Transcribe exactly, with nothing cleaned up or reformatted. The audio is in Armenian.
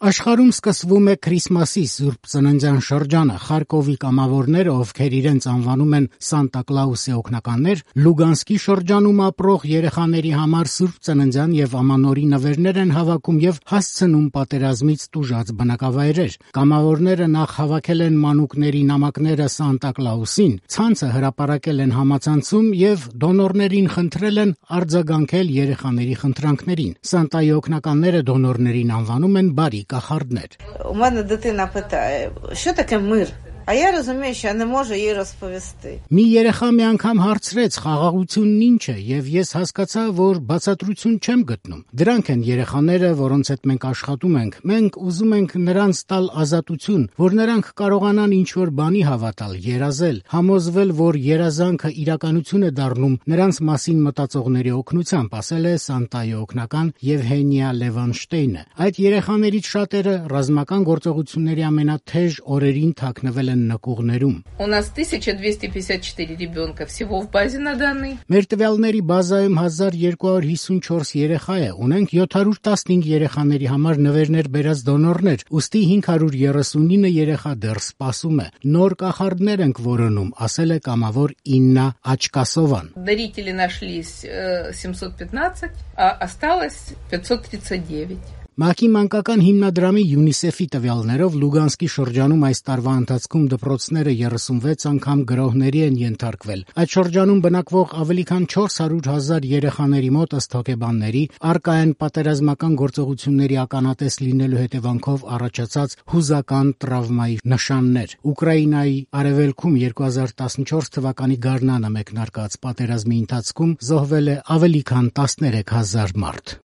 Աշխարհում սկսվում է Քրիսմասի Սուրբ Ծննդյան շրջանը։ Խարկովի կամավորները, ովքեր իրենց անվանում են Սանտա Կլաուսի օգնականներ, Լուգանսկի շրջանում ապրող երեխաների համար Սուրբ Ծննդյան եւ Ամանորի նվերներ են հավաքում եւ հասցնում պատերազմից տուժած բնակավայրեր։ Կամավորները նախ հավաքել են մանուկների նամակները Սանտա Կլաուսին, ցանցը հրապարակել են համացանցում եւ դոնորներին խնդրել են արձագանքել երեխաների խնդրանքներին։ Սանտայի օգնականները դոնորներին անվանում են բարի кахардներ. У мене дитина питає, що таке мир? А я розумію, що я не можу їй розповісти. Մի երեխա մի անգամ հարցրեց խաղաղությունն ինչ է, եւ ես հասկացա, որ բացատրություն չեմ գտնում։ Դրանք են երեխաները, որոնց հետ մենք աշխատում ենք։ Մենք ուզում ենք նրանց տալ ազատություն, որ նրանք կարողանան ինչ-որ բանի հավատալ, երազել, համոզվել, որ երազանքը իրականություն է դառնում նրանց մասին մտածողների օգնությամբ, ասել է Սանտայի օգնական Եվհենիա Լևանշտեյնը։ Այդ երեխաներից շատերը ռազմական գործողությունների ամենաթեժ օրերին թաքնվել նկուղներում։ У нас тысяча двести пятьдесят четыре ребенка всего в базе на данный. Մեր տվյալների բազայում հազար երկու հարյուր հիսունչորս երեխա է, ունենք յոթ հարյուր տասնհինգ երեխաների համար նվերներ բերած դոնորներ, ուստի հինգ հարյուր երեսունինը երեխա դեռ սպասում է։ Նոր կախարդներ ենք որոնում, ասել է կամավոր Իննա Աչկասովան։ Дарители нашлись семьсот пятнадцать, а осталось пятьсот тридцать девять. ՄԱԿ-ի մանկական հիմնադրամի ՅՈՒՆԻՍԵՖ-ի տվյալներով Լուգանսկի շրջանում այս տարվա ընթացքում դպրոցները երեսունվեց անգամ գրոհների են ենթարկվել։ Այդ շրջանում բնակվող ավելի քան չորս հարյուր հազար երեխաների մոտ ըստ հոգեբանների առկա են պատերազմական գործողությունների ականատես լինելու հետևանքով առաջացած հուզական տրավմայի նշաններ։ Ուկրաինայի արևելքում երկու հազար տասնչորս թվականի գարնանը մեկնարկած պատերազմի ընթացքում զոհվել է ավելի քան տասներեք հազար մարդ։